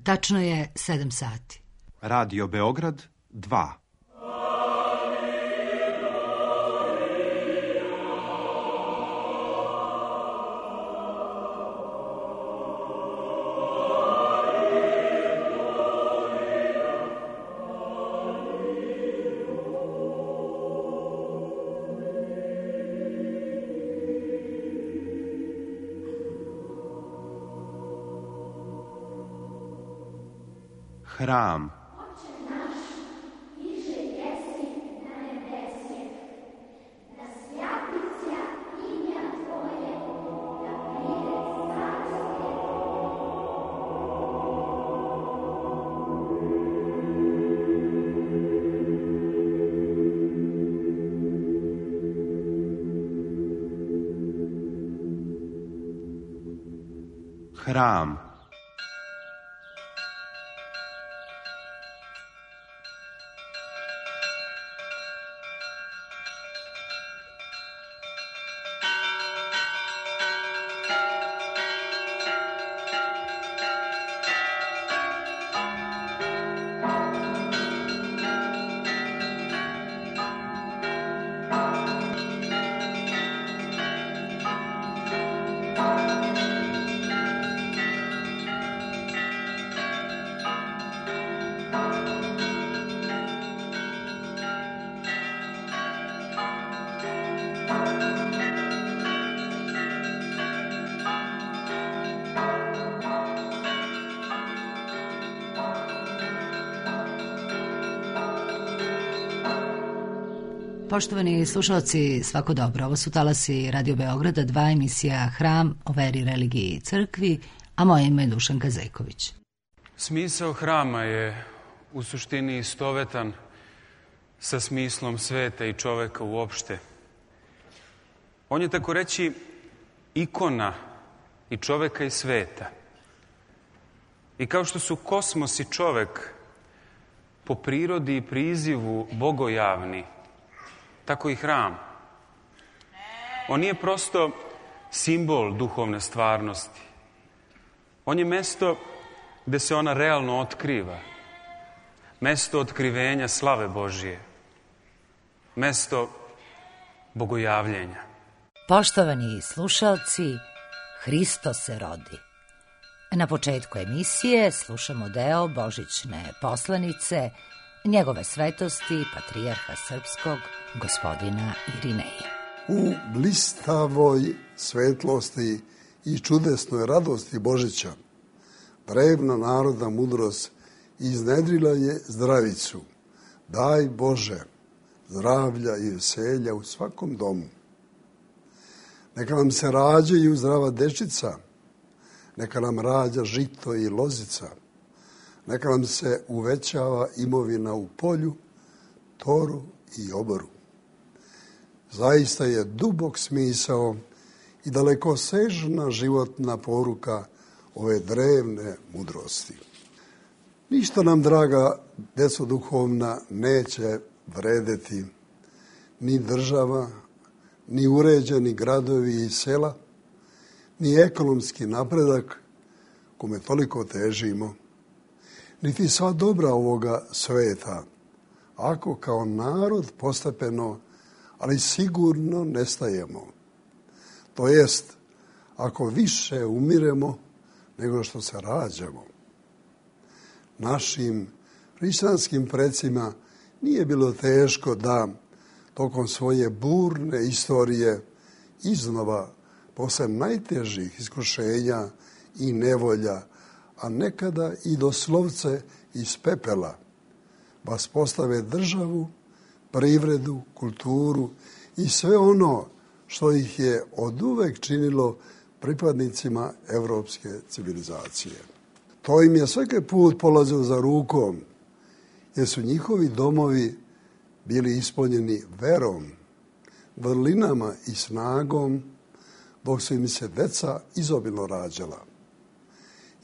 Tačno je 7 sati. Radio Beograd 2. Hram. Hram. Poštovani slušalci, svako dobro. Ovo su talasi Radio Beograda 2, emisija Hram o veri, religiji i crkvi, a moje ime je Dušanka Zejković. Smisao hrama je u suštini istovetan sa smislom sveta i čoveka uopšte. On je, tako reći, ikona i čoveka i sveta. I kao što su kosmos i čovek po prirodi i prizivu bogojavni, tako i hram. On nije prosto simbol duhovne stvarnosti. On je mesto gde se ona realno otkriva. Mesto otkrivenja slave Božije. Mesto bogojavljenja. Poštovani slušalci, Hristo se rodi. Na početku emisije slušamo deo božićne poslanice Njegove svetosti, patrijarha srpskog, gospodina Irineja. U blistavoj svetlosti i čudesnoj radosti Božića drevna narodna mudrost iznedrila je zdravicu. Daj Bože zdravlja i veselja u svakom domu. Neka nam se rađaju zdrava dečica, neka nam rađa žito i lozica, neka nam se uvećava imovina u polju, toru i oboru. Zaista je dubok smisao i dalekosežna životna poruka ove drevne mudrosti. Ništa nam, draga deco duhovna, neće vredeti ni država, ni uređeni gradovi i sela, ni ekonomski napredak kome toliko težimo, niti sva dobra ovoga sveta, ako kao narod postepeno, ali sigurno nestajemo. To jest, ako više umiremo nego što se rađamo. Našim hrišćanskim precima nije bilo teško da tokom svoje burne istorije iznova, posle najtežih iskušenja i nevolja, a nekada i doslovce iz pepela, vaspostave državu, privredu, kulturu i sve ono što ih je oduvek činilo pripadnicima evropske civilizacije. To im je svaki put polazilo za rukom, jer su njihovi domovi bili ispunjeni verom, vrlinama i snagom, dok su im se deca izobilno rađala.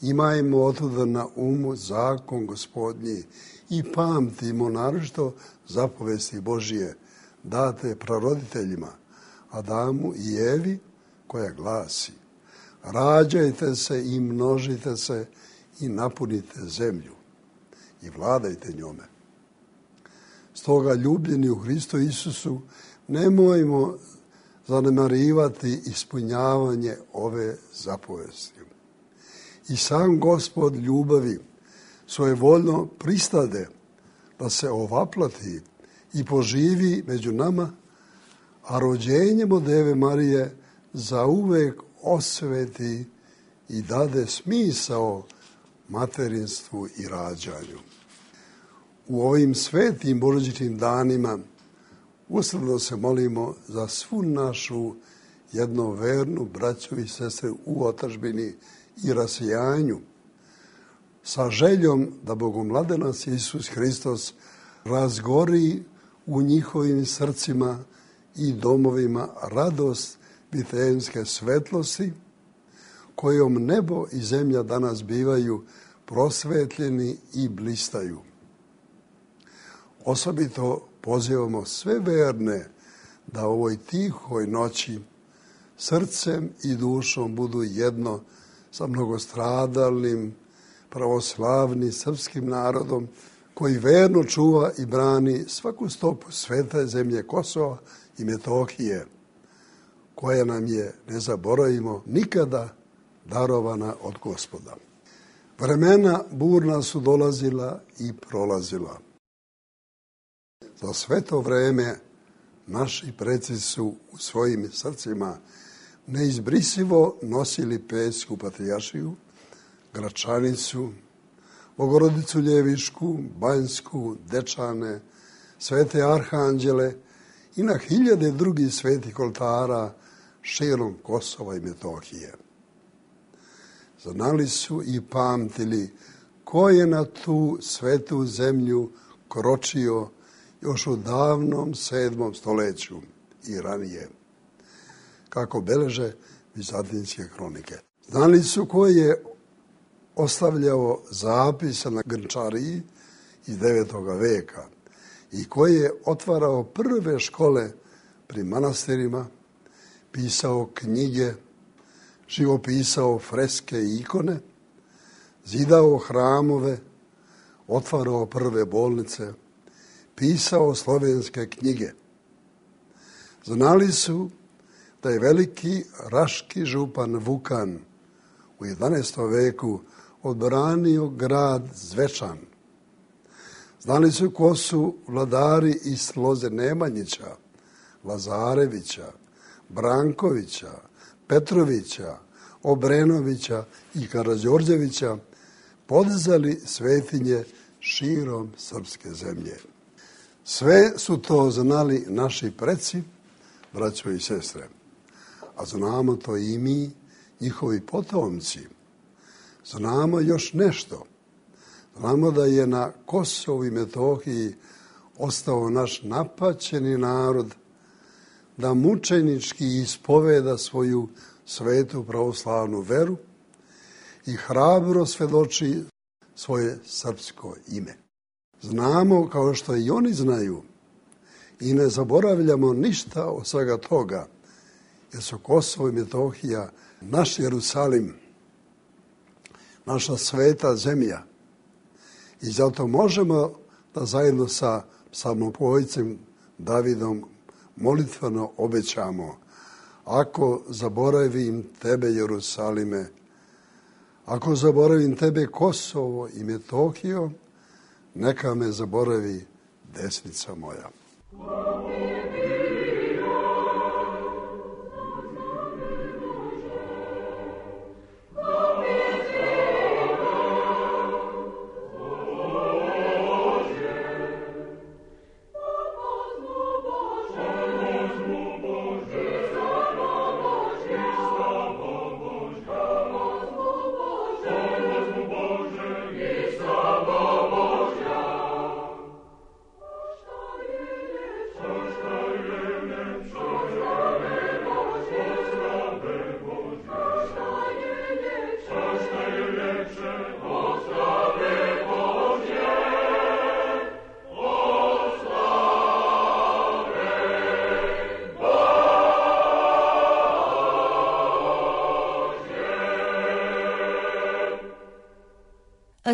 Imajmo otuda na umu zakon Gospodnji i pamtimo naročito zapovesti Božije date praroditeljima, Adamu i Evi, koja glasi: rađajte se i množite se i napunite zemlju i vladajte njome. Stoga, ljubljeni u Hristu Isusu, nemojmo zanemarivati ispunjavanje ove zapovesti. I sam Gospod ljubavi svojevoljno pristade da se ovaplati i poživi među nama, a rođenjem od Deve Marije zauvek osveti i dade smisao materinstvu i rađanju. U ovim svetim božićnim danima usrdno se molimo za svu našu jednovernu braću i sestre u otadžbini i rasijanju, sa željom da Bogomladenac Isus Hristos razgori u njihovim srcima i domovima radost vitejemske svetlosti, kojom nebo i zemlja danas bivaju prosvetljeni i blistaju. Osobito pozivamo sve verne da u ovoj tihoj noći srcem i dušom budu jedno sa mnogostradalnim pravoslavnim srpskim narodom koji verno čuva i brani svaku stopu svete zemlje Kosova i Metohije, koja nam je, ne zaboravimo, nikada darovana od Gospoda. Vremena burna su dolazila i prolazila. Za sve to vreme naši preci su u svojim srcima neizbrisivo nosili Pećsku patrijaršiju, Gračanicu, Bogorodicu Ljevišku, Banjsku, Dečane, svete arhanđele i na hiljade drugih svetih oltara širom Kosova i Metohije. Znali su i pamtili ko je na tu svetu zemlju kročio još u davnom 7. stoljeću i ranije, kako beleže vizantinske hronike. Znali su ko je ostavljao zapise na grnčariji iz 9. veka i ko je otvarao prve škole pri manastirima, pisao knjige, živopisao freske i ikone, zidao hramove, otvarao prve bolnice, pisao slovenske knjige. Znali su da je veliki raški župan Vukan u 11. veku odbranio grad Zvečan. Znali su ko su vladari iz loze Nemanjića, Lazarevića, Brankovića, Petrovića, Obrenovića i Karađorđevića podizali svetinje širom srpske zemlje. Sve su to znali naši preci, braćo i sestre, a znamo to i mi, njihovi potomci. Znamo još nešto. Znamo da je na Kosovu i Metohiji ostao naš napaćeni narod da mučenički ispoveda svoju svetu pravoslavnu veru i hrabro svedoči svoje srpsko ime. Znamo, kao što i oni znaju, i ne zaboravljamo ništa od svega toga, jer su Kosovo i Metohija naš Jerusalim, naša sveta zemlja. I zato možemo da zajedno sa psalmopevcem Davidom molitveno obećamo: ako zaboravim tebe, Jerusalime, ako zaboravim tebe, Kosovo i Metohijo, neka me zaboravi desnica moja.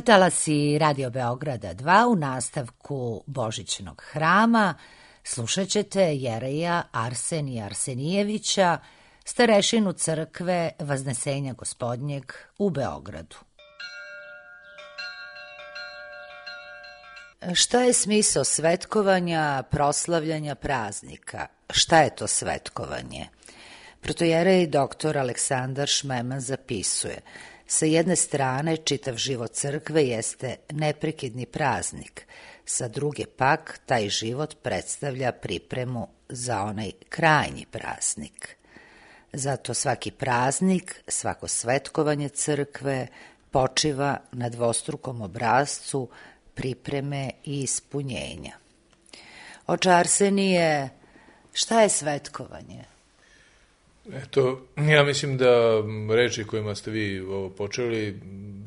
Talasi Radio Beograda 2 u nastavku Božićnog hrama slušat ćete jereja Arsenija Arsenijevića, starešinu crkve Vaznesenja Gospodnjeg u Beogradu. Šta je smisao svetkovanja, proslavljanja praznika? Šta je to svetkovanje? Protojerej dr. Aleksandar Šmeman zapisuje: sa jedne strane, čitav život crkve jeste neprekidni praznik, sa druge pak, taj život predstavlja pripremu za onaj krajnji praznik. Zato svaki praznik, svako svetkovanje crkve počiva na dvostrukom obrascu pripreme i ispunjenja. Oče Arsenije, šta je svetkovanje? Eto, ja mislim da reči kojima ste vi ovo počeli,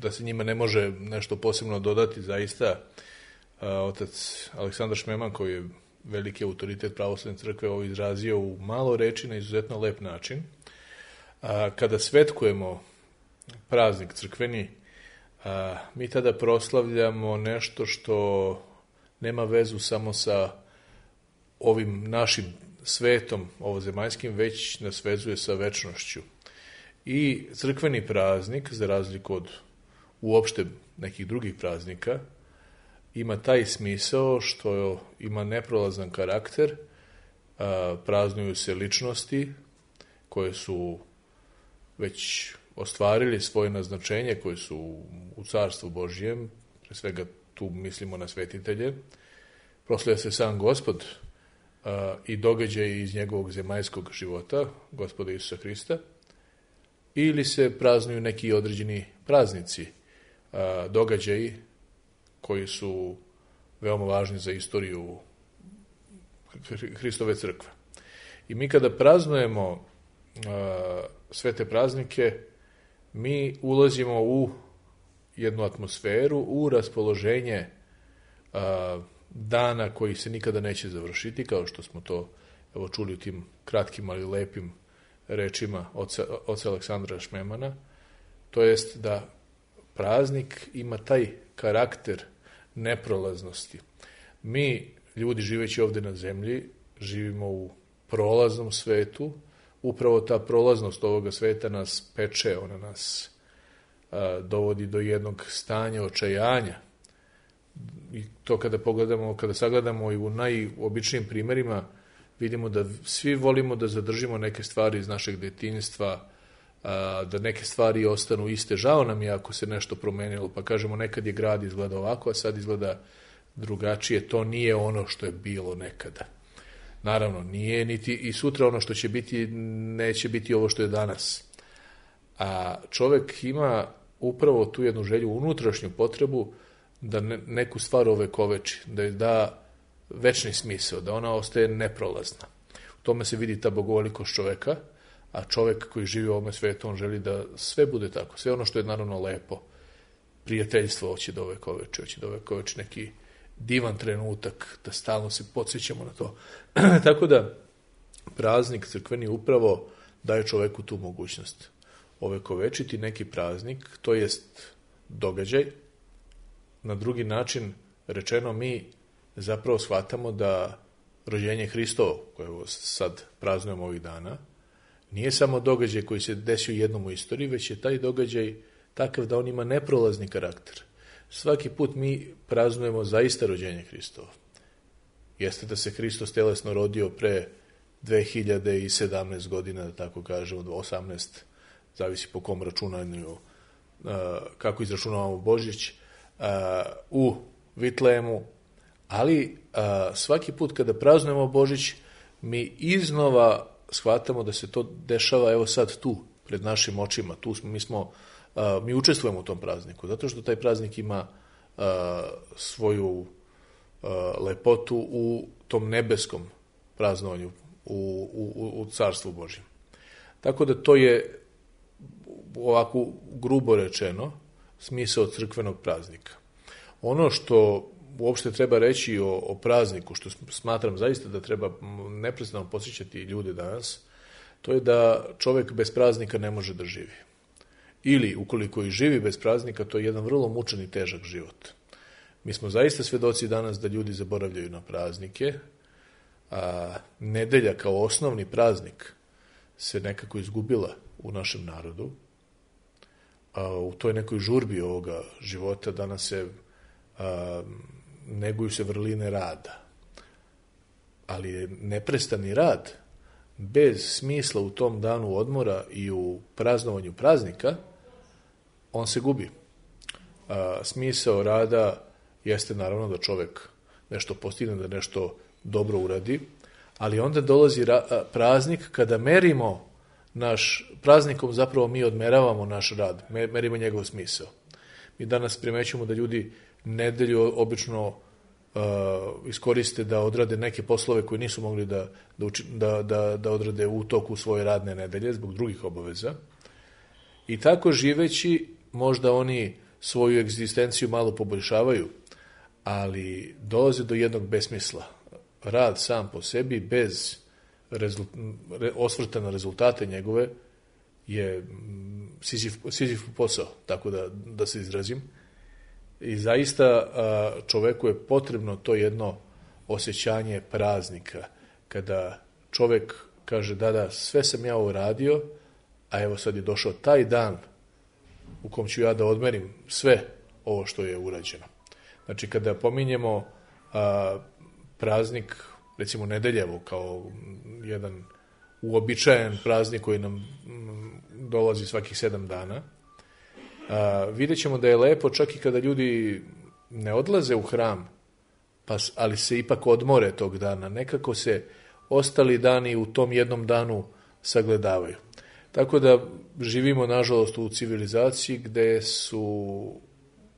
da se njima ne može nešto posebno dodati, zaista. Otac Aleksandar Šmeman, koji je veliki autoritet pravoslavne crkve, ovo izrazio u malo reči na izuzetno lep način. Kada svetkujemo praznik crkveni, mi tada proslavljamo nešto što nema vezu samo sa ovim našim svetom ovozemaljskim, već nas vezuje sa večnošću. I crkveni praznik, za razliku od uopšte nekih drugih praznika, ima taj smisao što ima neprolazan karakter, praznuju se ličnosti koje su već ostvarili svoje naznačenje, koje su u Carstvu Božijem, pre svega tu mislimo na svetitelje, proslavlja se sam Gospod i događaj iz njegovog zemaljskog života, Gospoda Isusa Hrista, ili se praznuju neki određeni praznici, događaji koji su veoma važni za istoriju Hristove crkve. I mi kada praznujemo sve te praznike, mi ulazimo u jednu atmosferu, u raspoloženje dana koji se nikada neće završiti, kao što smo to čuli u tim kratkim, ali lepim rečima oca Aleksandra Šmemana. To jest da praznik ima taj karakter neprolaznosti. Mi, ljudi živeći ovde na zemlji, živimo u prolaznom svetu. Upravo ta prolaznost ovoga sveta nas peče, ona nas dovodi do jednog stanja očajanja. I to kada pogledamo, kada sagledamo i u najobičnijim primerima, vidimo da svi volimo da zadržimo neke stvari iz našeg detinjstva, da neke stvari ostanu iste. Žao nam je ako se nešto promenilo, pa kažemo nekad je grad izgleda ovako, a sad izgleda drugačije. To nije ono što je bilo nekada. Naravno, nije niti i sutra ono što će biti, neće biti ovo što je danas. A čovek ima upravo tu jednu želju, unutrašnju potrebu da neku stvar ovekoveči, da je da večni smisao, da ona ostaje neprolazna. U tome se vidi ta bogovolikost čoveka, a čovek koji živi u ovome svetu, on želi da sve bude tako. Sve ono što je naravno lepo, prijateljstvo hoće da ovekoveči neki divan trenutak, da stalno se podsjećamo na to. Tako da praznik crkveni upravo daje čoveku tu mogućnost. Ovekovečiti neki praznik, to jest događaj. Na drugi način rečeno, mi zapravo shvatamo da rođenje Hristovo, koje sad praznujemo ovih dana, nije samo događaj koji se desio jednom u istoriji, već je taj događaj takav da on ima neprolazni karakter. Svaki put mi praznujemo zaista rođenje Hristovo. Jeste da se Hristos telesno rodio pre 2017 godina, da tako kažemo, 18, zavisi po kom računanju, kako izračunavamo Božić, u Vitlejemu, ali svaki put kada praznujemo Božić, mi iznova shvatamo da se to dešava evo sad tu, pred našim očima. Mi učestvujemo u tom prazniku, zato što taj praznik ima svoju lepotu u tom nebeskom praznovanju, u Carstvu Božjem. Tako da to je, ovako grubo rečeno, smisao crkvenog praznika. Ono što uopšte treba reći o prazniku, što smatram zaista da treba neprestano podsjećati ljude danas, to je da čovek bez praznika ne može da živi. ili ukoliko i živi bez praznika, to je jedan vrlo mučan i težak život. Mi smo zaista svedoci danas da ljudi zaboravljaju na praznike, a nedelja kao osnovni praznik se nekako izgubila u našem narodu. U toj nekoj žurbi ovoga života danas se neguju se vrline rada. Ali je neprestani rad bez smisla u tom danu odmora i u praznovanju praznika, on se gubi. Smisao rada jeste naravno da čovek nešto postigne, da nešto dobro uradi, ali onda dolazi praznik kada merimo praznikom zapravo mi odmeravamo naš rad, merimo njegov smisao. Mi danas primećujemo da ljudi nedelju obično iskoriste da odrade neke poslove koje nisu mogli da odrade u toku svoje radne nedelje zbog drugih obaveza. I tako živeći možda oni svoju egzistenciju malo poboljšavaju, ali dolaze do jednog besmisla. Rad sam po sebi bez osvrta na rezultate njegove je Sizif posao, tako da se izrazim. I zaista čoveku je potrebno to jedno osjećanje praznika, kada čovek kaže da, sve sam ja uradio, a evo sad je došao taj dan u kom ću ja da odmerim sve ovo što je urađeno. Znači, kada pominjemo praznik, recimo Nedeljevo, kao jedan uobičajen praznik koji nam dolazi svakih 7 dana, vidjet ćemo da je lepo čak i kada ljudi ne odlaze u hram, ali se ipak odmore tog dana. Nekako se ostali dani u tom jednom danu sagledavaju. Tako da živimo, nažalost, u civilizaciji gde su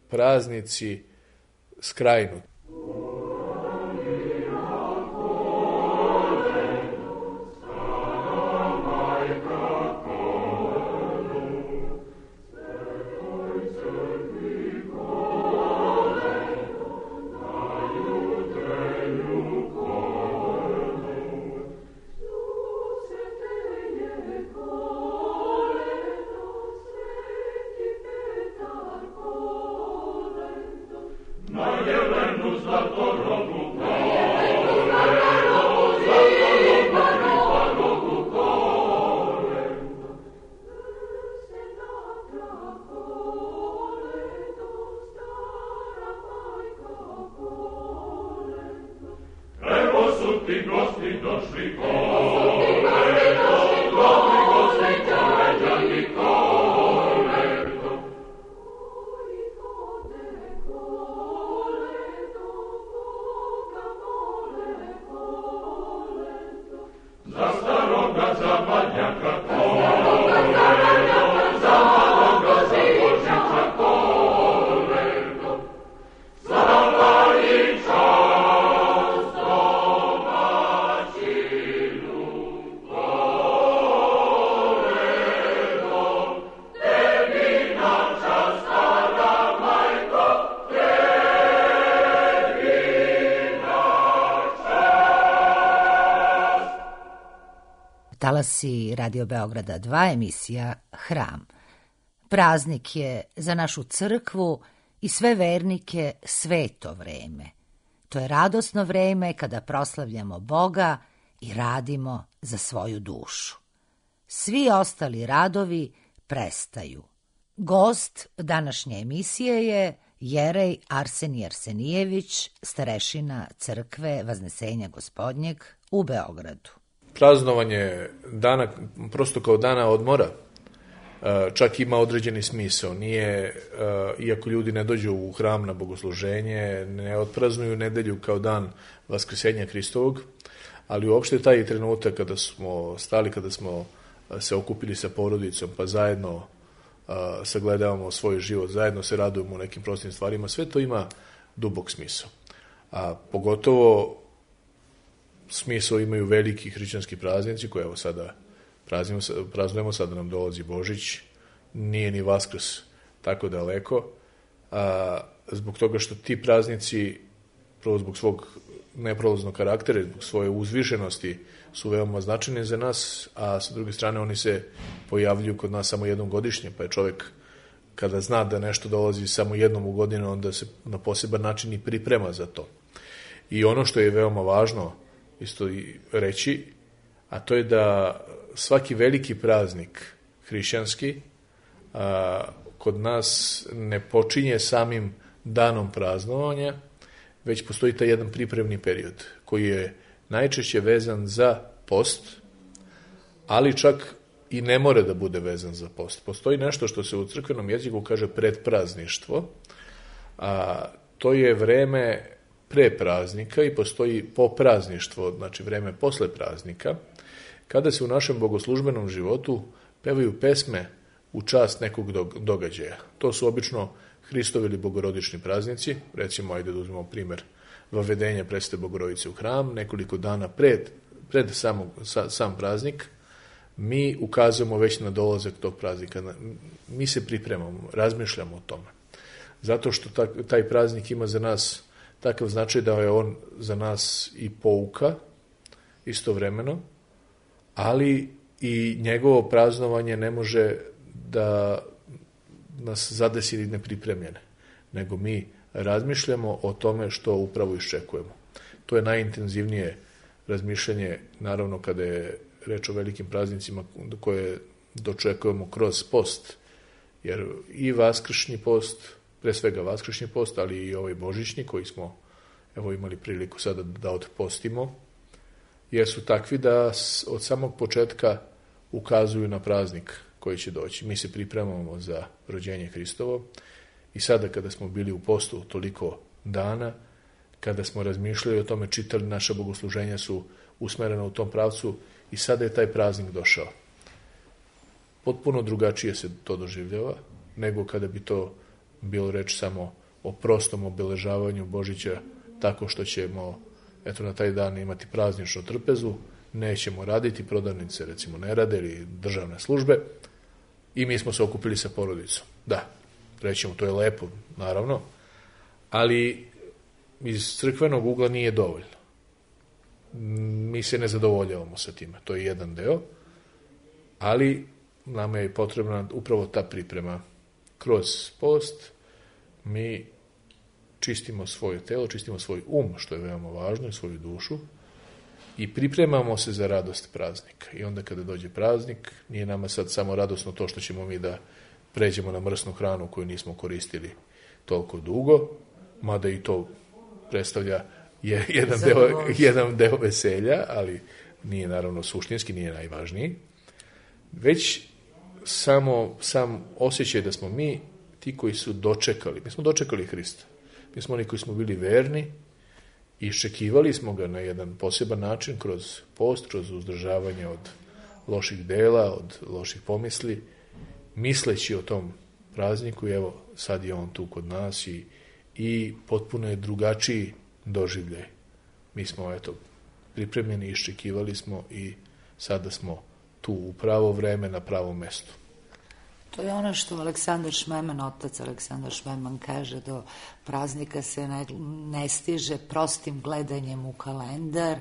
praznici skrajnuti. Talasi Radio Beograda 2, emisija Hram. Praznik je za našu crkvu i sve vernike sveto vreme. To je radosno vreme kada proslavljamo Boga i radimo za svoju dušu. Svi ostali radovi prestaju. Gost današnje emisije je jerej Arsenije Arsenijević, starešina crkve Vaznesenja Gospodnjeg u Beogradu. Praznovanje dana, prosto kao dana odmora, čak ima određeni smisao. Nije, iako ljudi ne dođu u hram na bogosluženje, ne otpraznuju nedelju kao dan Vaskrsenja Hristovog, ali uopšte taj trenutak kada smo stali, kada smo se okupili sa porodicom, pa zajedno sagledavamo svoj život, zajedno se radujemo u nekim prostim stvarima, sve to ima dubok smisao. A pogotovo smisao imaju veliki hrišćanski praznici koje evo sada praznujemo, sada nam dolazi Božić, nije ni Vaskrs tako daleko, zbog toga što ti praznici, prvo zbog svog neprolaznog karaktera, zbog svoje uzvišenosti su veoma značajni za nas, a sa druge strane oni se pojavljuju kod nas samo jednom godišnje, pa je čovek kada zna da nešto dolazi samo jednom u godinu, onda se na poseban način i priprema za to. I ono što je veoma važno isto i reći, a to je da svaki veliki praznik hrišćanski kod nas ne počinje samim danom praznovanja, već postoji taj jedan pripremni period koji je najčešće vezan za post, ali čak i ne more da bude vezan za post. Postoji nešto što se u crkvenom jeziku kaže predprazništvo, a to je vreme pre praznika i postoji poprazništvo, znači vreme posle praznika, kada se u našem bogoslužbenom životu pevaju pesme u čast nekog događaja. To su obično Hristovi ili bogorodični praznici, recimo, ajde da uzmemo primer Vavedenja Presvete Bogorodice u hram, nekoliko dana pred sam praznik, mi ukazujemo već na dolazak tog praznika. Mi se pripremamo, razmišljamo o tome. Zato što taj praznik ima za nas takav značaj da je on za nas i pouka istovremeno, ali i njegovo praznovanje ne može da nas zadesi nepripremljene, nego mi razmišljamo o tome što upravo iščekujemo. To je najintenzivnije razmišljanje, naravno, kada je reč o velikim praznicima koje dočekujemo kroz post, jer i vaskršnji post, pre svega vaskršnji post, ali i ovaj božićni koji smo imali priliku sada da otpostimo, jer su takvi da od samog početka ukazuju na praznik koji će doći. Mi se pripremamo za rođenje Hristovo i sada kada smo bili u postu toliko dana, kada smo razmišljali o tome, čitali, naša bogosluženja su usmerena u tom pravcu i sada je taj praznik došao. Potpuno drugačije se to doživljava nego kada bi to bilo reč samo o prostom obeležavanju Božića tako što ćemo na taj dan imati prazničnu trpezu, nećemo raditi, prodavnice recimo ne rade ili državne službe i mi smo se okupili sa porodicom. Da, rećemo, to je lepo, naravno, ali iz crkvenog ugla nije dovoljno. Mi se ne zadovoljavamo sa time, to je jedan deo, ali nama je potrebna upravo ta priprema. Kroz post mi čistimo svoje telo, čistimo svoj što je veoma važno, i svoju dušu, i pripremamo se za radost praznika. I onda kada dođe praznik, nije nama sad samo radosno to što ćemo mi da pređemo na mrsnu hranu koju nismo koristili toliko dugo, mada i to predstavlja jedan deo veselja, ali nije naravno suštinski, nije najvažniji, već sam osjećaj da smo mi ti koji su dočekali. Mi smo dočekali Hrista. Mi smo oni koji smo bili verni i iščekivali smo ga na jedan poseban način kroz post, kroz uzdržavanje od loših dela, od loših pomisli, misleći o tom prazniku i evo sad je on tu kod nas i potpuno je drugačiji doživljaj. Mi smo pripremljeni, iščekivali smo i sada smo tu u pravo vreme na pravom mestu. To je ono što Aleksandar Šmeman, otac Aleksandar Šmeman kaže, do praznika se ne stiže prostim gledanjem u kalendar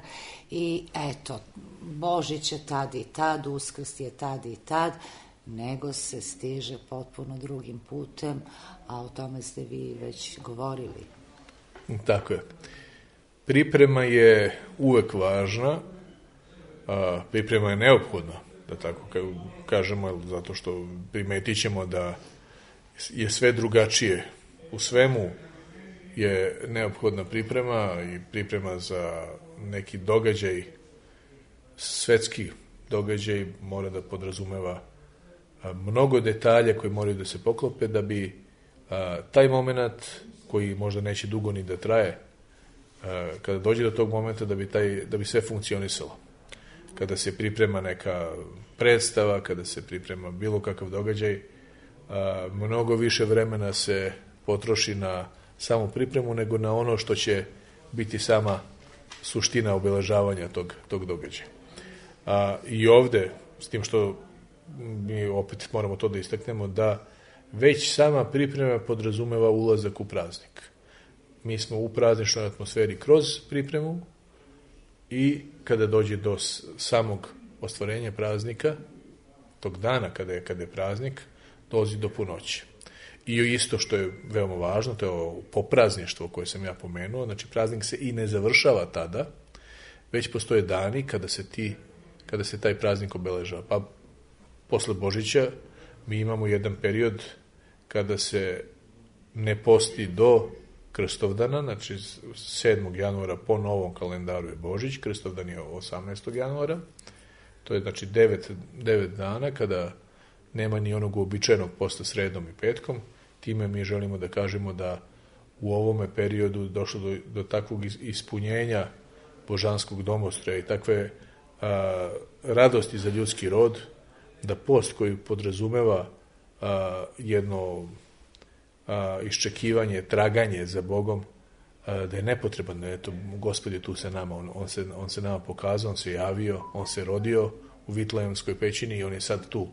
i eto, Božić je tad i tad, Uskrs je tad i tad, nego se stiže potpuno drugim putem, a o tome ste vi već govorili. Tako je. Priprema je uvek važna, priprema je neophodna, da tako kažemo, zato što primetit ćemo da je sve drugačije. U svemu je neophodna priprema i priprema za neki događaj, svetski događaj mora da podrazumeva mnogo detalja koji moraju da se poklope da bi taj moment, koji možda neće dugo ni da traje, kada dođe do tog momenta da bi sve funkcionisalo. Kada se priprema neka predstava, kada se priprema bilo kakav događaj, mnogo više vremena se potroši na samu pripremu nego na ono što će biti sama suština obeležavanja tog događaja. I ovde, s tim što mi opet moramo to da istaknemo, da već sama priprema podrazumeva ulazak u praznik. Mi smo u prazničnoj atmosferi kroz pripremu i kada dođe do samog ostvarenja praznika, tog dana kada je praznik, dolazi do punoće. I isto što je veoma važno, to je ovo poprazništvo koje sam ja pomenuo, znači praznik se i ne završava tada, već postoje dani kada se taj praznik obeležava. Pa posle Božića mi imamo jedan period kada se ne posti do Krstovdana, znači 7. januara po novom kalendaru je Božić, Krstovdan je 18. januara, to je znači 9 dana kada nema ni onog uobičajenog posta sredom i petkom. Time mi želimo da kažemo da u ovome periodu došlo do takvog ispunjenja božanskog domostroja i takve radosti za ljudski rod, da post koji podrazumeva jedno iščekivanje, traganje za Bogom, da je nepotreban, eto, Gospod je tu sa nama, on se nama pokazao, on se javio, on se rodio u Vitlejemskoj pećini i on je sad tu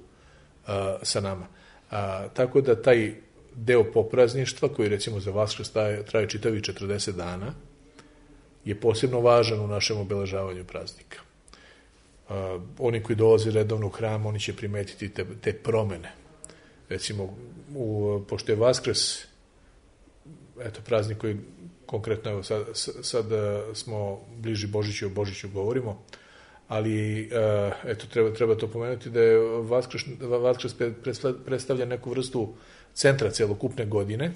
sa nama. Tako da taj deo poprazništva, koji recimo za Vaskrs traje čitavi 40 dana, je posebno važan u našem obeležavanju praznika. Oni koji dolaze redovno u hram, oni će primetiti te promene. Recimo, pošto je Vaskrs, eto, praznik koji konkretno, evo, sad smo bliži Božiću, o Božiću govorimo, ali eto, treba to pomenuti da je Vaskrs predstavlja neku vrstu centra celokupne godine.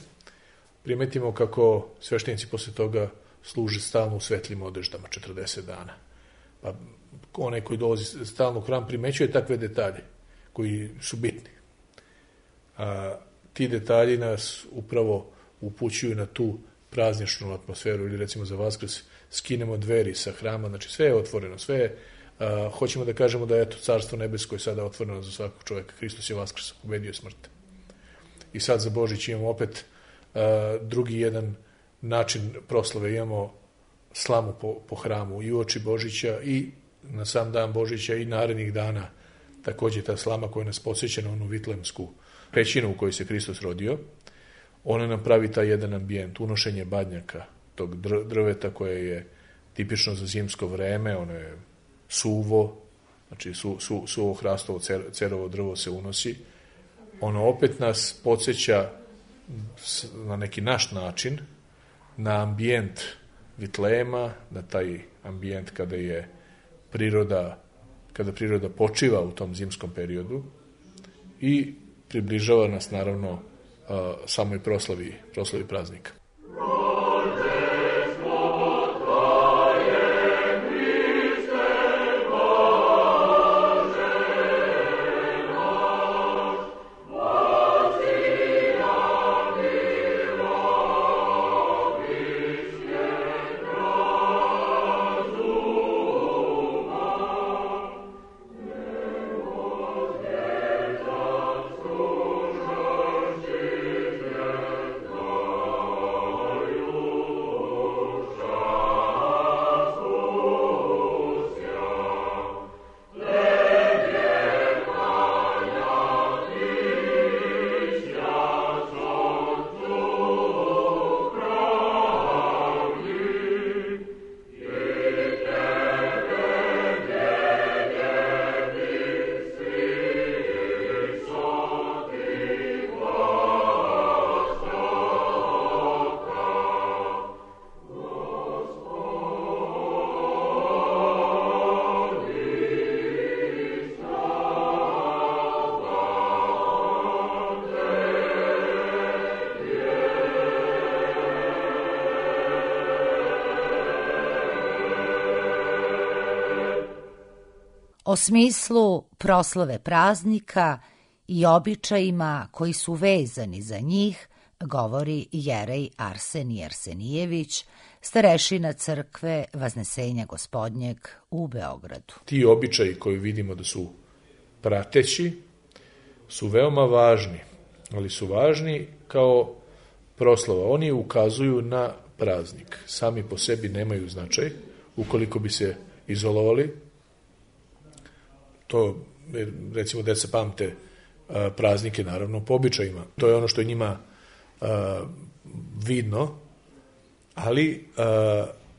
Primetimo kako sveštenici posle toga služe stalno u svetlim odeždama 40 dana. Pa onaj koji dolazi stalno u hram primećuje takve detalje koji su bitni. Ti detalji nas upravo upućuju na tu prazničnu atmosferu, ili recimo za Vaskrs skinemo dveri sa hrama, znači sve je otvoreno, sve je, hoćemo da kažemo da je to Carstvo nebesko je sada otvoreno za svakog čovjeka, Hristos je Vaskrs, pobedio smrt. I sad za Božić imamo opet drugi jedan način proslave, imamo slamu po hramu i uoči Božića i na sam dan Božića i narednih dana, takođe ta slama koja nas podsjeća na onu Vitlejemsku pećinu u kojoj se Hristos rodio, ona nam pravi taj jedan ambijent, unošenje badnjaka, tog drveta koje je tipično za zimsko vreme, ono je suvo, znači suvo hrastovo cerovo drvo se unosi, ono opet nas podsjeća na neki naš način na ambijent Vitlejema, na taj ambijent kada priroda počiva u tom zimskom periodu i približava nas naravno samoj proslavi praznika. O smislu proslave praznika i običajima koji su vezani za njih govori jerej Arsenij Arsenijević, starešina crkve Vaznesenja Gospodnjeg u Beogradu. Ti običaji koji vidimo da su prateći su veoma važni, ali su važni kao proslava. Oni ukazuju na praznik. Sami po sebi nemaju značaj. Ukoliko bi se izolovali, to, recimo, deca pamte praznike, naravno, po običajima. To je ono što je njima vidno, ali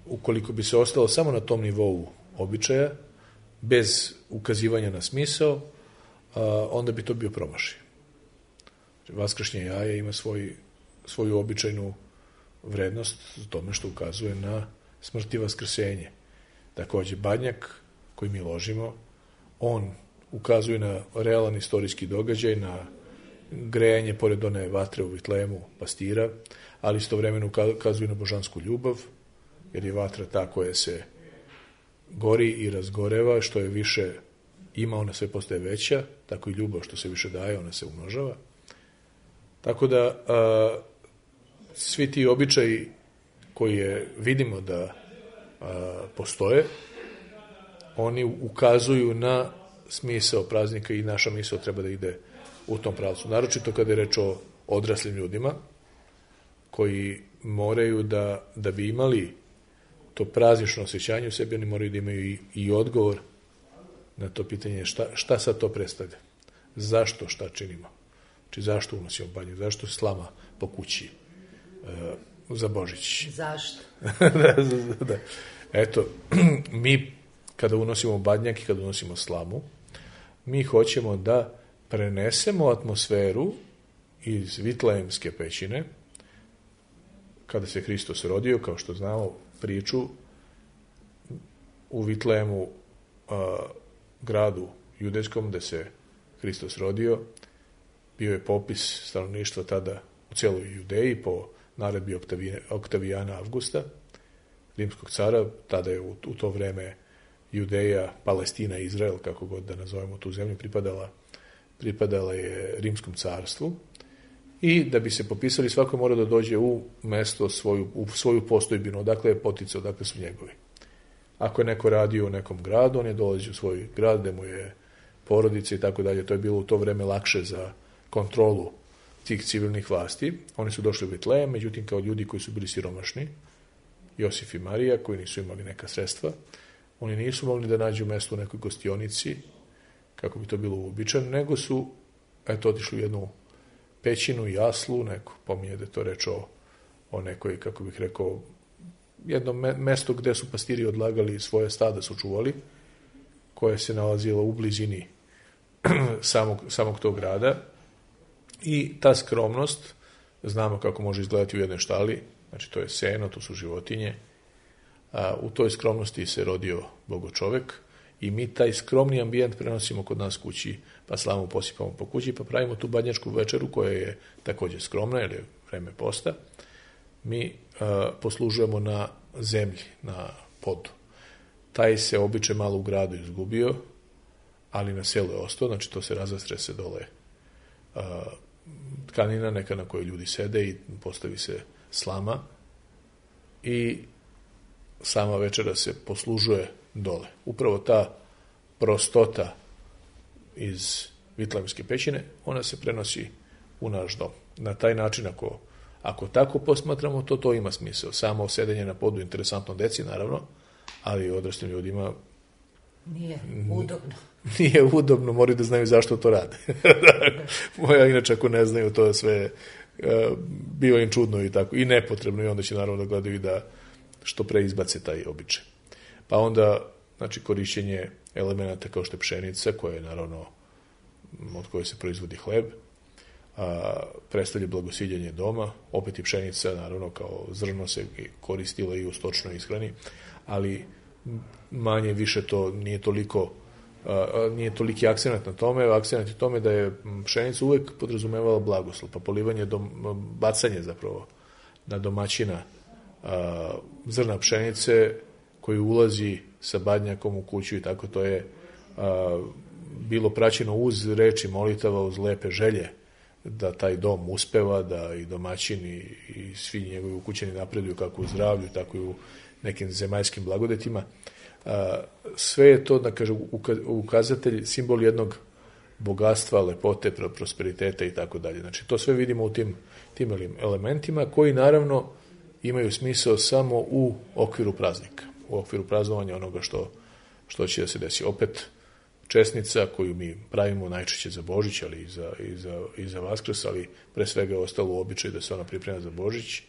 ukoliko bi se ostalo samo na tom nivou običaja, bez ukazivanja na smisao, onda bi to bio promašaj. Vaskršnje jaje ima svoju običajnu vrednost u tome što ukazuje na smrt i vaskrsenje. Takođe, badnjak koji mi ložimo, on ukazuje na realan istorijski događaj, na grejanje pored one vatre u Vitlejemu pastira, ali istovremeno ukazuje na božansku ljubav, jer je vatra ta koja se gori i razgoreva, što je više ima, ona sve postaje veća, tako i ljubav što se više daje, ona se umnožava. Tako da svi ti običaji koje vidimo da postoje, oni ukazuju na smisao praznika i naša misao treba da ide u tom pravcu. Naročito kada je reč o odraslim ljudima koji moraju da bi imali to praznično osjećanje u sebi, oni moraju da imaju i odgovor na to pitanje šta sad to predstavlja. Zašto šta činimo? Znači zašto unosimo badnjak? Zašto slama po kući za Božić? Zašto? Da. Eto, mi kada unosimo badnjak i kada unosimo slamu, mi hoćemo da prenesemo atmosferu iz Vitlejemske pećine, kada se Hristos rodio, kao što znamo priču, u Vitlejemu, gradu judejskom, gde se Hristos rodio, bio je popis stanovništva tada u cijeloj Judeji po naredbi Oktavijana Avgusta, rimskog cara. Tada je u to vreme Judeja, Palestina, Izrael, kako god da nazovemo tu zemlju, pripadala je rimskom carstvu. I da bi se popisali, svako mora da dođe u mesto, u svoju postojbinu, odakle je poticao, odakle su njegovi. Ako je neko radio u nekom gradu, on je dolazio u svoj grad, gde mu je porodica i tako dalje. To je bilo u to vreme lakše za kontrolu tih civilnih vlasti. Oni su došli u Vitlejem, međutim kao ljudi koji su bili siromašni, Josif i Marija, koji nisu imali neka sredstva, oni nisu mogli da nađu mesto u nekoj gostionici, kako bi to bilo uobičajeno, nego su otišli u jednu pećinu, jaslu, neko pominje da je to reč o nekoj, kako bih rekao, jedno mesto gde su pastiri odlagali svoje stada, su čuvali, koje se nalazilo u blizini samog tog grada. I ta skromnost, znamo kako može izgledati u jednoj štali, znači to je seno, to su životinje, u toj skromnosti se rodio Bogočovek i mi taj skromni ambijent prenosimo kod nas kući, pa slamu posipamo po kući, pa pravimo tu badnjačku večeru koja je također skromna, jer je vreme posta. Mi poslužujemo na zemlji, na podu. Taj se običaj malo u gradu izgubio, ali na selu je ostao, znači to se razastre se dole tkanina neka na kojoj ljudi sede i postavi se slama i sama večera se poslužuje dole. Upravo ta prostota iz Vitlejemske pećine, ona se prenosi u naš dom. Na taj način, ako tako posmatramo, to ima smisao. Samo sedenje na podu, interesantno deci, naravno, ali odraslim ljudima nije udobno. Nije udobno, moraju da znaju zašto to rade. Moja, inače, ako ne znaju, to je sve bio im čudno i tako, i nepotrebno, i onda će naravno da gledaju da što pre izbace taj običaj. Pa onda, znači, korišćenje elemenata kao što je pšenica, koja je naravno od koje se proizvodi hleb, predstavlja blagosiljanje doma, opet i pšenica, naravno, kao zrno se koristila i u stočnoj ishrani, ali manje više to nije toliki akcenat na tome. Akcenat je tome da je pšenica uvek podrazumevala blagoslov, pa polivanje, bacanje zapravo na domaćina zrna pšenice koji ulazi sa badnjakom u kuću i tako, to je bilo praćeno uz reči molitava, uz lepe želje da taj dom uspeva, da i domaćini i svi njegovi ukućani napreduju kako u zdravlju, tako i u nekim zemaljskim blagodetima. Sve je to, da kažem, ukazatelj, simbol jednog bogatstva, lepote, prosperiteta i tako dalje. Znači, to sve vidimo u tim elementima koji, naravno, imaju smisao samo u okviru praznika, u okviru praznovanja onoga što će da se desi. Opet, česnica koju mi pravimo najčešće za Božić, ali i za Vaskrs, ali pre svega je ostalo u običaju da se ona priprema za Božić,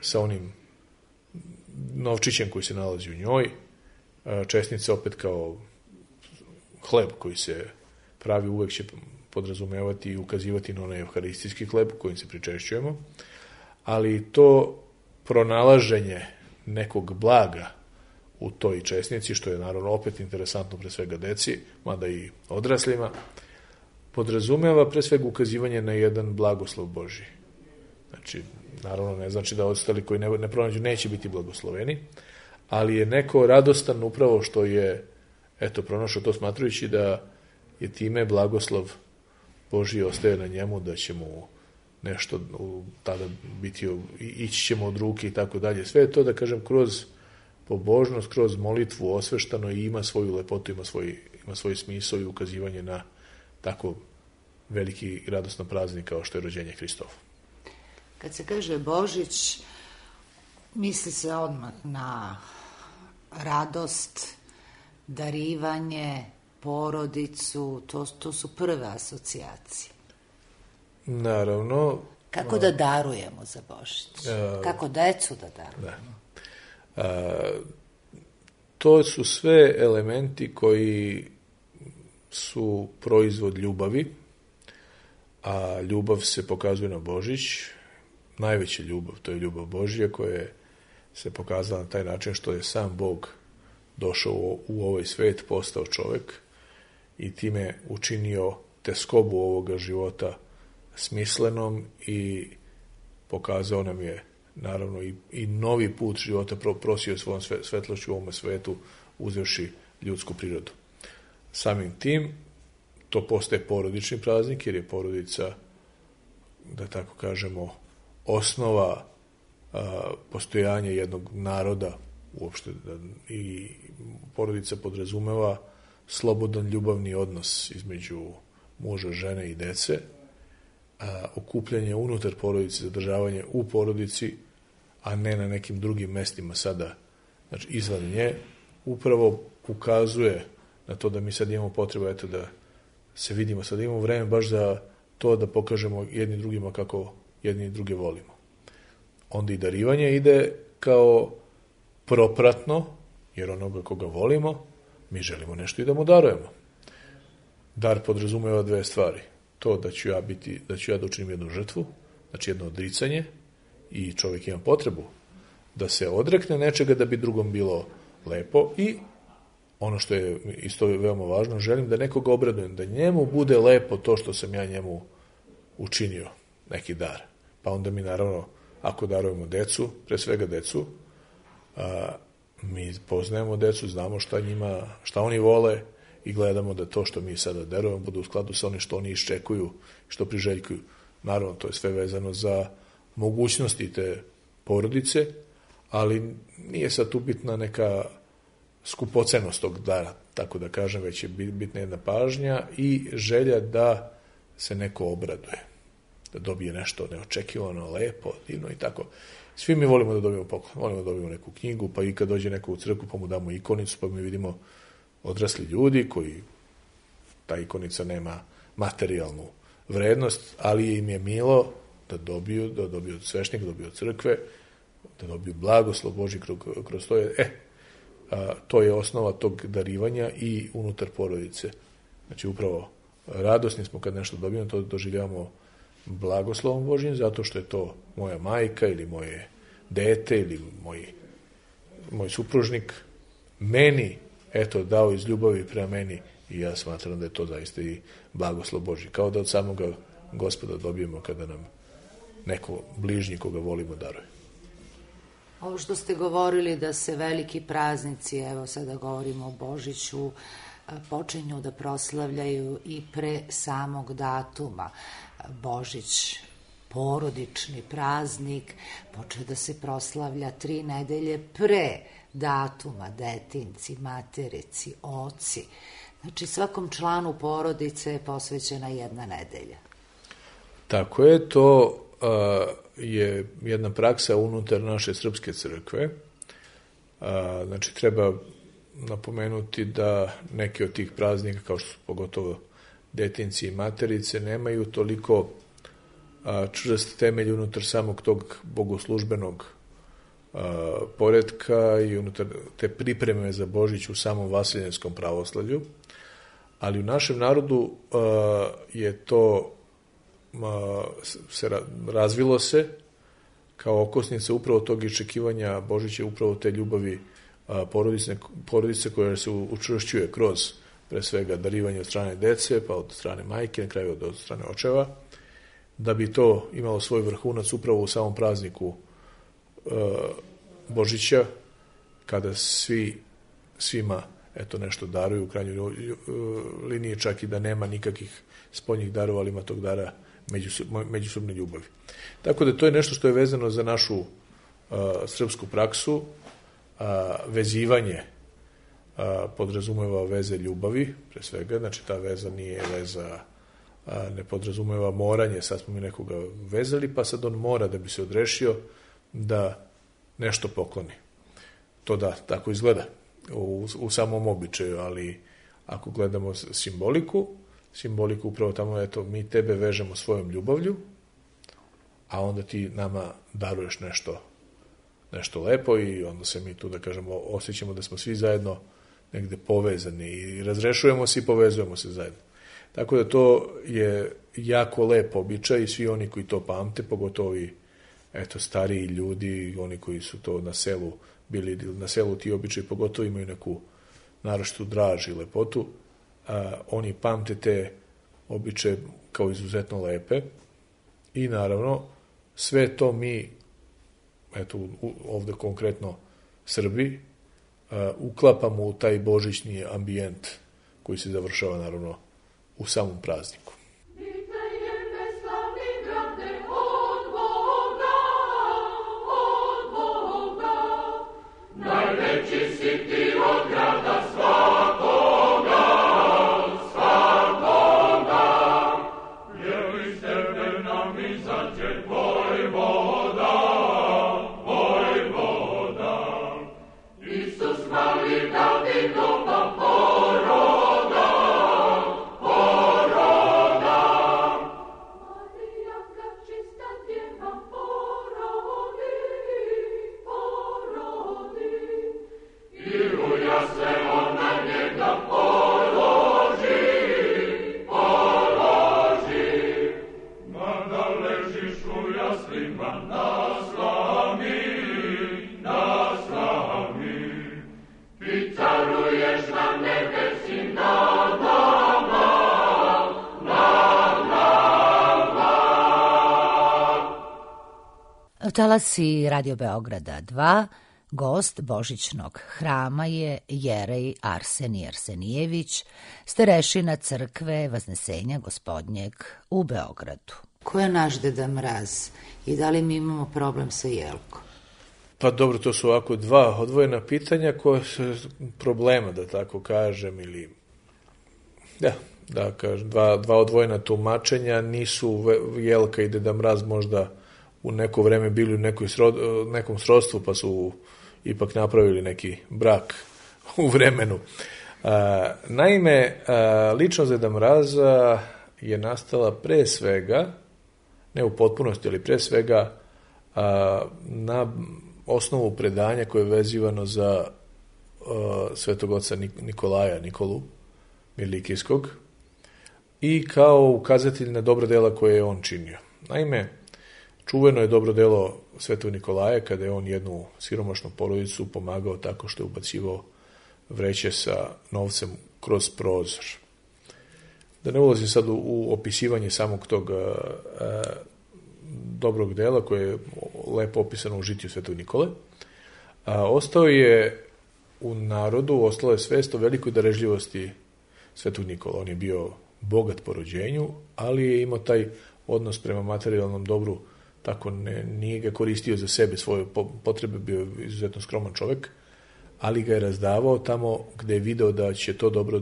sa onim novčićem koji se nalazi u njoj. Česnica opet kao hleb koji se pravi, uvek će podrazumevati i ukazivati na onaj evharistijski hleb kojim se pričešćujemo, ali to pronalaženje nekog blaga u toj česnici, što je naravno opet interesantno pre svega deci, mada i odraslima, podrazumeva pre svega ukazivanje na jedan blagoslov Božji. Znači, naravno ne znači da ostali koji ne pronađu neće biti blagosloveni, ali je neko radostan upravo što je pronašao to, smatrajući da je time blagoslov Božji ostaje na njemu, da će mu nešto tada biti, ići ćemo od ruke i tako dalje. Sve je to, da kažem, kroz pobožnost, kroz molitvu osveštano i ima svoju lepotu, ima svoj smisao i ukazivanje na tako veliki i radostan praznik kao što je rođenje Hristovo. Kad se kaže Božić, misli se odmah na radost, darivanje, porodicu, to su prve asocijacije. Naravno. Kako da darujemo za Božić? Kako decu da darujemo? To su sve elementi koji su proizvod ljubavi, a ljubav se pokazuje na Božić. Najveća ljubav, to je ljubav Božja koja se pokazala na taj način što je sam Bog došao u ovaj svet, postao čovek i time učinio teskobu ovoga života smislenom i pokazao nam je naravno i novi put života, prosio svojom svetlošću u ovome svetu, uzevši ljudsku prirodu. Samim tim to postaje porodični praznik, jer je porodica, da tako kažemo, osnova postojanja jednog naroda uopšte, i porodica podrazumeva slobodan ljubavni odnos između muža, žene i dece, okupljanje unutar porodice, zadržavanje u porodici, a ne na nekim drugim mestima sada, znači izvan nje, upravo ukazuje na to da mi sad imamo potrebu da se vidimo, sad imamo vreme baš za to da pokažemo jedni drugima kako jedni druge volimo. Onda i darivanje ide kao propratno, jer onoga koga volimo, mi želimo nešto i da mu darujemo. Dar podrazumeva dve stvari. To da ću ja da učinim jednu žrtvu, znači jedno odricanje, i čovjek ima potrebu da se odrekne nečega da bi drugom bilo lepo, i ono što je isto veoma važno, želim da nekoga obradujem, da njemu bude lepo to što sam ja njemu učinio, neki dar. Pa onda mi naravno, ako darujemo decu, pre svega decu, mi poznajemo decu, znamo šta oni vole i gledamo da to što mi sada darujemo bude u skladu sa onim što oni iščekuju, što priželjkuju. Naravno, to je sve vezano za mogućnosti te porodice, ali nije sad ubitna neka skupocenost tog dara, tako da kažem, već je bitna jedna pažnja i želja da se neko obraduje, da dobije nešto neočekivano, lepo, divno i tako. Svi mi volimo da dobijemo poklon, volimo da dobijemo neku knjigu, pa i kad dođe neko u crkvu pa mu damo ikonicu, pa mi vidimo odrasli ljudi koji, ta ikonica nema materijalnu vrednost, ali im je milo da dobiju od svešnika, da dobiju od crkve, da dobiju blagoslov Božji kroz to. To je osnova tog darivanja i unutar porodice. Znači, upravo radosni smo kad nešto dobijemo, to doživljavamo blagoslovom Božjim, zato što je to moja majka ili moje dete ili moj supružnik meni, dao iz ljubavi prema meni, i ja smatram da je to zaista i blagoslov Božji. Kao da od samoga Gospoda dobijemo kada nam neko bližnji koga volimo daruje. Ovo što ste govorili da se veliki praznici, evo sada govorimo o Božiću, počinju da proslavljaju i pre samog datuma. Božić, porodični praznik, počeo da se proslavlja 3 nedelje pre datuma, detinci, materici, oci. Znači, svakom članu porodice je posvećena 1 nedelja. Tako je, to je jedna praksa unutar naše srpske crkve. Znači, treba napomenuti da neki od tih praznika, kao što su pogotovo detinci i materice, nemaju toliko čvrst temelj unutar samog tog bogoslužbenog poretka i unutar te pripreme za Božić u samom vasiljenskom pravoslavlju, ali u našem narodu je to razvilo se kao okosnica upravo tog iščekivanja Božića, upravo te ljubavi porodice koja se učvršćuje kroz pre svega darivanje od strane dece, pa od strane majke, na kraju od strane očeva, da bi to imalo svoj vrhunac upravo u samom prazniku Božića, kada svima nešto daruju, u krajnjoj liniji čak i da nema nikakvih spoljnih darova, ali ima tog dara međusobne ljubavi. Tako da to je nešto što je vezano za našu srpsku praksu. Vezivanje podrazumeva veze ljubavi, pre svega, znači ta veza nije veza, ne podrazumeva moranje, sad smo mi nekoga vezali, pa sad on mora da bi se odrešio da nešto pokloni. To da, tako izgleda u samom običaju, ali ako gledamo simboliku upravo tamo, eto, mi tebe vežemo svojom ljubavlju, a onda ti nama daruješ nešto lepo i onda se mi tu, da kažemo, osjećamo da smo svi zajedno negde povezani i razrešujemo se i povezujemo se zajedno. Tako da to je jako lep običaj i svi oni koji to pamte, pogotovo i stariji ljudi, oni koji su to na selu bili, na selu ti običaji pogotovo imaju neku naročitu draž i lepotu, oni pamte te običaje kao izuzetno lepe i naravno sve to mi, eto ovde konkretno Srbi, uklapamo u taj božićni ambijent koji se završava naravno u samom prazniku. Najveći si ti od grada svakoga, svakoga, jer iz tebe nam izađe vojvoda, vojvoda. Isus mali Davidova poroda, poroda. Marija ga čista djeva porodi, porodi. I ruja se on na njega položi, položi. Mada ležiš u jaslima na slami, na slami. Ti caruješ na nebesi nad nama, nad nama. Talasi Radio Beograda 2, gost Božićnog hrama je Jerej Arsenij Arsenijević, starešina crkve Vaznesenja Gospodnjeg u Beogradu. Ko je naš Deda Mraz i da li mi imamo problem sa jelkom? Pa dobro, to su ovako dva odvojena pitanja koje su problema, da tako kažem, ili da kažem, dva odvojena tumačenja. Nisu Jelka i Deda Mraz možda u neko vreme bili u nekom srodstvu, pa su ipak napravili neki brak u vremenu. Naime, ličnost Deda Mraza je nastala pre svega, ne u potpunosti, ali pre svega na osnovu predanja koje je vezivano za svetog oca Nikolu Mirlikijskog i kao ukazatelj na dobro dela koje je on činio. Naime, čuveno je dobro delo Svetog Nikolaja kada je on jednu siromašnu porodicu pomagao tako što je ubacivao vreće sa novcem kroz prozor. Da ne ulazim sad u opisivanje samog tog dobrog dela koje je lepo opisano u žitiju Svetog Nikole, ostao je u narodu, ostala je svest o velikoj darežljivosti Svetog Nikola. On je bio bogat po rođenju, ali je imao taj odnos prema materijalnom dobru, tako nije ga koristio za sebe, svoje potrebe, bio izuzetno skroman čovek, ali ga je razdavao tamo gde je video da će to dobro,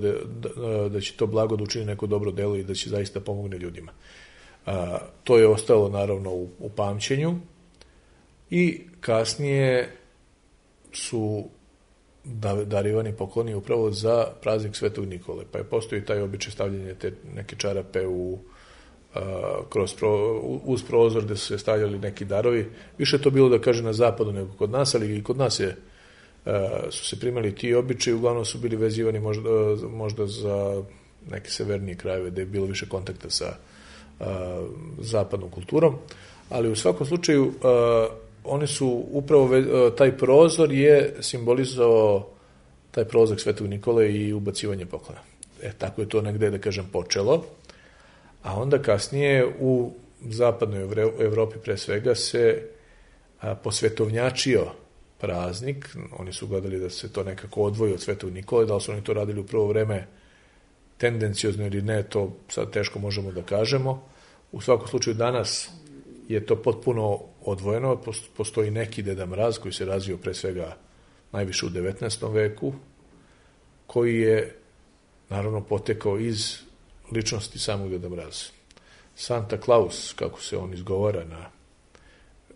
da će to blago da učini neko dobro delo i da će zaista pomogne ljudima. To je ostalo naravno u pamćenju i kasnije su darivani pokloni upravo za praznik Svetog Nikole, pa je postoji taj običaj stavljanja te neke čarape uz prozor gde su se stavljali neki darovi. Više to bilo, da kaže, na zapadu nego kod nas, ali i kod nas su se primali ti običaji, uglavnom su bili vezivani možda za neke severnije krajeve gde je bilo više kontakta sa zapadnom kulturom, ali u svakom slučaju oni su upravo, taj prozor je simbolizovao taj prozor Svetog Nikole i ubacivanje poklona. Tako je to negde, da kažem, počelo, a onda kasnije u zapadnoj Evropi pre svega se posvetovnjačio praznik. Oni su gledali da se to nekako odvoji od Svetog Nikole, da li su oni to radili u prvo vreme tendencijozno ili ne, to sad teško možemo da kažemo. U svakom slučaju danas je to potpuno odvojeno, postoji neki Deda Mraz koji se razvio pre svega najviše u 19. veku, koji je naravno potekao iz ličnosti samog Deda Mraza. Santa Claus, kako se on izgovara na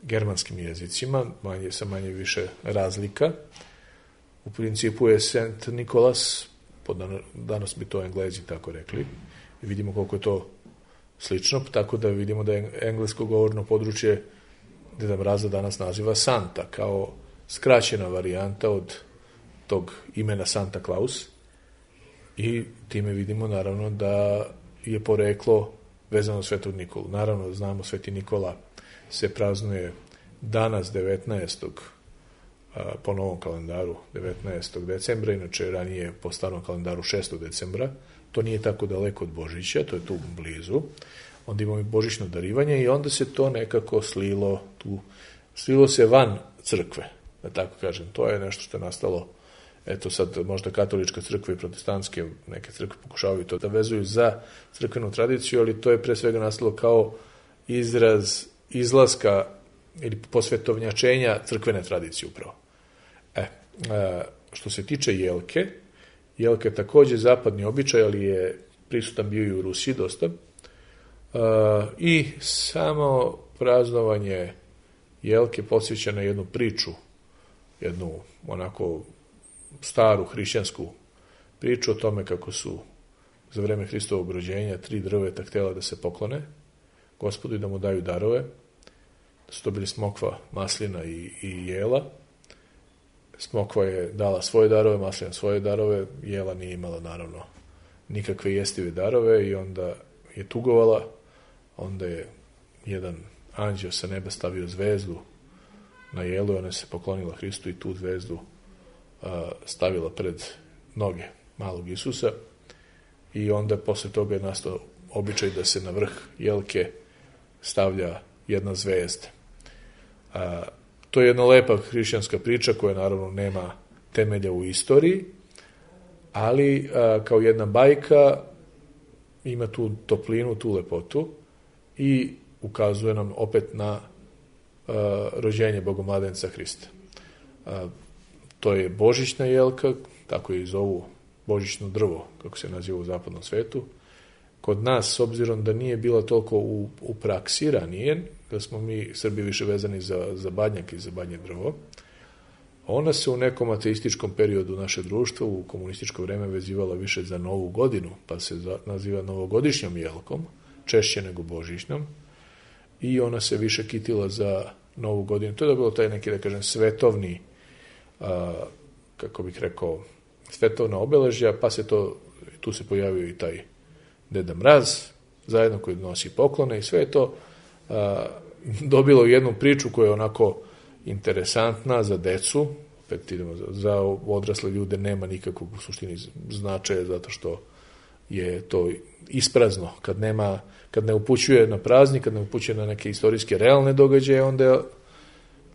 germanskim jezicima, sa manje više razlika. U principu je St. Nikolas, danas bi to Englezi tako rekli, i vidimo koliko je to slično, tako da vidimo da je englesko govorno područje Deda Mraza danas naziva Santa, kao skraćena varijanta od tog imena Santa Claus, i time vidimo naravno da je poreklo vezano Svetog Nikolu. Naravno, znamo, Sveti Nikola se praznuje danas 19. po novom kalendaru 19. decembra, inače ranije po starom kalendaru 6. decembra. To nije tako daleko od Božića, to je tu blizu. Onda imamo i božićno darivanje i onda se to nekako slilo se van crkve, da tako kažem. To je nešto što je nastalo, eto sad možda katolička crkva i protestantske neke crkve pokušavaju to da vezuju za crkvenu tradiciju, ali to je pre svega nastalo kao izraz izlaska ili posvetovnjačenja crkvene tradicije upravo. Što se tiče jelke, jelka je takođe zapadni običaj, ali je prisutan bio i u Rusiji dosta. I samo praznovanje jelke podsjeća na jednu priču, jednu onako staru hrišćansku priču o tome kako su za vreme Hristovog rođenja 3 drveta htjela da se poklone Gospodu i da mu daju darove, da su to bili smokva, maslina i jela. Smokva je dala svoje darove, maslina svoje darove, jela nije imala naravno nikakve jestive darove i onda je tugovala, onda je jedan anđeo sa neba stavio zvezdu na jelu i ona se poklonila Hristu i tu zvezdu stavila pred noge malog Isusa i onda posle toga je nastao običaj da se na vrh jelke stavlja jedna zvezda. To je jedna lepa hrišćanska priča koja naravno nema temelja u istoriji, ali kao jedna bajka ima tu toplinu, tu lepotu i ukazuje nam opet na rođenje Bogomladenca Hrista. To je božićna jelka, tako je i zovu božićno drvo, kako se naziva u zapadnom svetu. Kod nas, s obzirom da nije bila toliko u praksi ranije, da smo mi Srbi više vezani za badnjak i za badnje drvo, ona se u nekom ateističkom periodu naše društva u komunističko vreme vezivala više za Novu godinu, pa se naziva novogodišnjom jelkom, češće nego božićnom, i ona se više kitila za Novu godinu. To je bilo taj neki, da kažem, svetovni, kako bih rekao, svetovna obeležja, pa se tu se pojavio i taj Deda Mraz, zajedno koji nosi poklone i sve je to dobilo jednu priču koja je onako interesantna za decu, opet idemo za odrasle ljude nema nikakvog u suštini značaja zato što je to isprazno, kad ne upućuje na praznik, kad ne upućuje na neke istorijske realne događaje, onda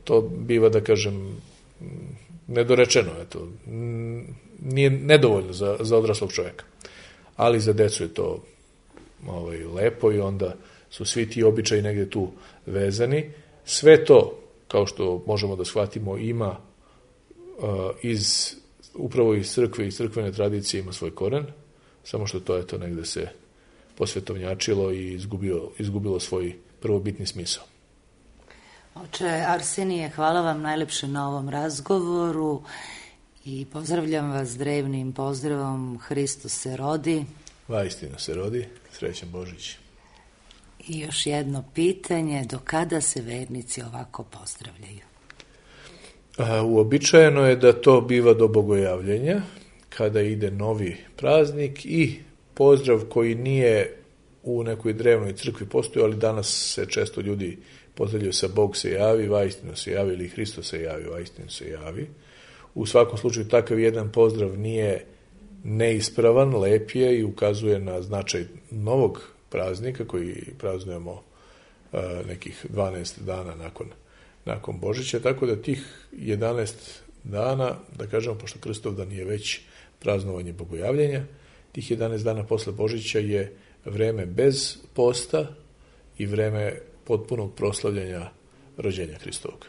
to biva, da kažem, nedorečeno, eto, nije nedovoljno za odraslog čovjeka. Ali za decu je to lepo i onda su svi ti običaji negdje tu vezani. Sve to, kao što možemo da shvatimo, ima upravo iz crkve i crkvene tradicije ima svoj koren, samo što to eto negdje se posvetovnjačilo i izgubilo svoj prvobitni smisao. Oče Arsenije, hvala vam najlepše na ovom razgovoru i pozdravljam vas drevnim pozdravom Hristos se rodi. Vaistinu se rodi, srećan Božić. I još jedno pitanje, do kada se vernici ovako pozdravljaju? Uobičajeno je da to biva do bogojavljenja, kada ide novi praznik i pozdrav koji nije u nekoj drevnoj crkvi postoji, ali danas se često ljudi pozdravljaju sa Bog se javi, vaistinu se javi, ili Hristos se javi, vaistinu se javi. U svakom slučaju takav jedan pozdrav nije neispravan, lep je i ukazuje na značaj novog praznika koji praznujemo nekih 12 dana nakon Božića, tako da tih 11 dana, da kažemo, pošto Krstovdan je već praznovanje Bogojavljenja, tih 11 dana posle Božića je vreme bez posta i vreme potpunog proslavljanja rođenja Hristovog.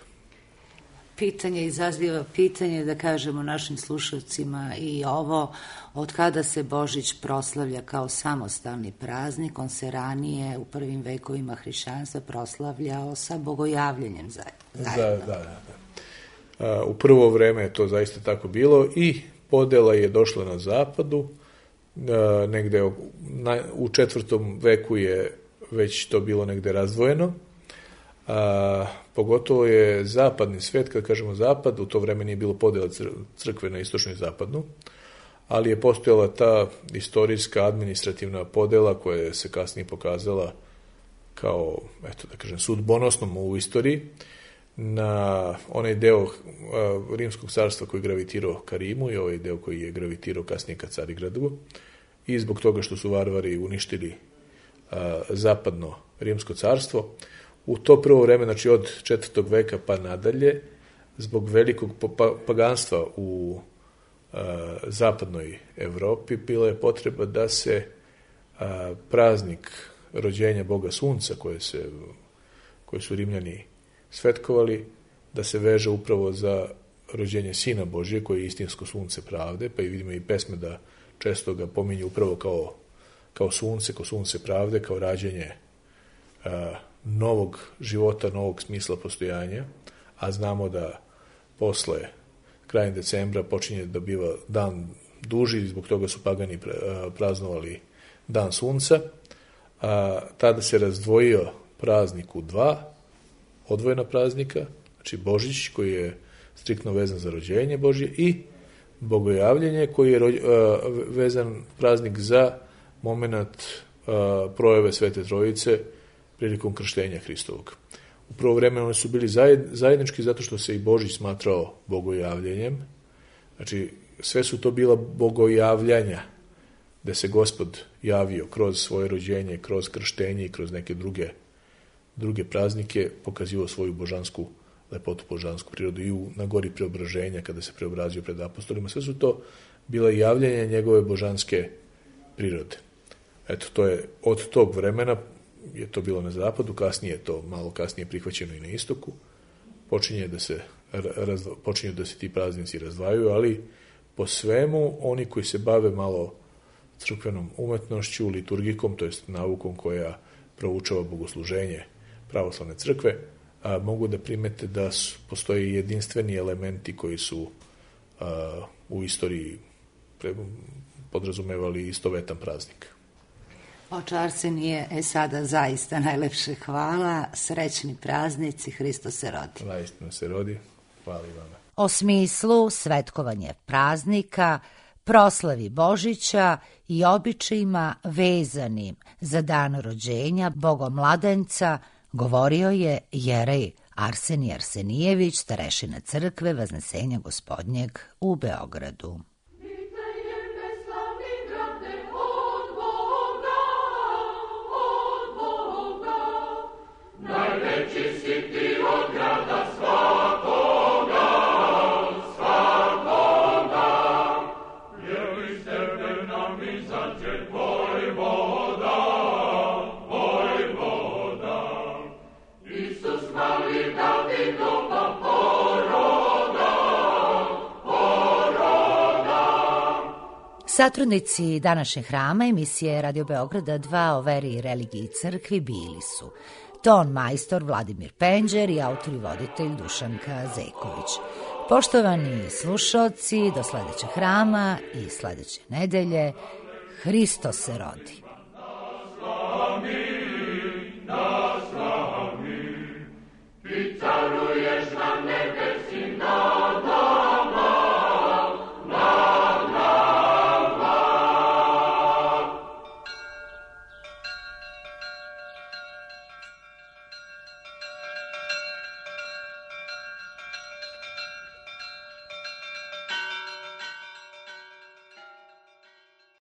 Pitanje izaziva pitanje, da kažemo našim slušalcima i ovo, od kada se Božić proslavlja kao samostalni praznik, on se ranije u prvim vekovima hrišćanstva proslavljao sa Bogojavljenjem zajedno. Da. U prvo vreme je to zaista tako bilo i podela je došla na zapadu, negde u 4. veku je već to bilo negde razdvojeno. Pogotovo je zapadni svet, kad kažemo zapad, u to vreme nije bilo podela crkve na istočnu i zapadnu, ali je postojala ta istorijska administrativna podela koja se kasnije pokazala kao, eto da kažem, sudbonosnom u istoriji na onaj deo Rimskog carstva koji je gravitirao ka Rimu i ovaj deo koji je gravitirao kasnije ka Carigradu, i zbog toga što su varvari uništili zapadno Rimsko carstvo. U to prvo vreme, znači od 4. veka pa nadalje, zbog velikog paganstva u zapadnoj Evropi, bila je potreba da se praznik rođenja Boga Sunca, koje su Rimljani svetkovali, da se veže upravo za rođenje Sina Božije, koji je istinsko sunce pravde, pa i vidimo i pesme da često ga pominju upravo kao sunce pravde, kao rađenje novog života, novog smisla postojanja, a znamo da posle krajem decembra počinje da biva dan duži, zbog toga su pagani praznovali dan sunca. Tada se razdvojio praznik u 2 odvojena praznika, znači Božić koji je striktno vezan za rođenje Božje i Bogojavljenje koji je vezan praznik za moment projave Svete Trojice prilikom krštenja Hristovog. U prvo vreme oni su bili zajednički zato što se i Božić smatrao bogojavljenjem. Znači, sve su to bila bogojavljanja da se Gospod javio kroz svoje rođenje, kroz krštenje i kroz neke druge praznike, pokazivao svoju božansku lepotu, božansku prirodu i na gori preobraženja kada se preobrazio pred apostolima. Sve su to bila javljanja njegove božanske prirode. Eto, to je od tog vremena je to bilo na zapadu, kasnije je to malo kasnije prihvaćeno i na istoku. Počinju da se ti praznici razdvajaju, ali po svemu oni koji se bave malo crkvenom umetnošću, liturgikom, to jest naukom koja proučava bogosluženje pravoslavne crkve, mogu da primete da postoje jedinstveni elementi koji su u istoriji podrazumevali istovetan praznik. Oče Arsenije, sada zaista najlepše hvala, srećni praznici, Hristos se rodi. Vaistinu se rodi, hvala i vama. O smislu svetkovanja praznika, proslavi Božića i običajima vezanim za dan rođenja Bogomladenca govorio je jerej Arsenije Arsenijević, starešina crkve Vaznesenja Gospodnjeg u Beogradu. Najveći si ti od grada svakoga, jer iz tebe nam izađe vojvoda. Isus mali Davidova poroda. Satrudnici današnjeg hrama emisije Radio Beograda 2 o veri i religiji i crkvi bili su ton majstor Vladimir Penđer i autor i voditelj Dušanka Zeković. Poštovani slušaoci, do sledećeg hrama i sledeće nedelje, Hristos se rodi.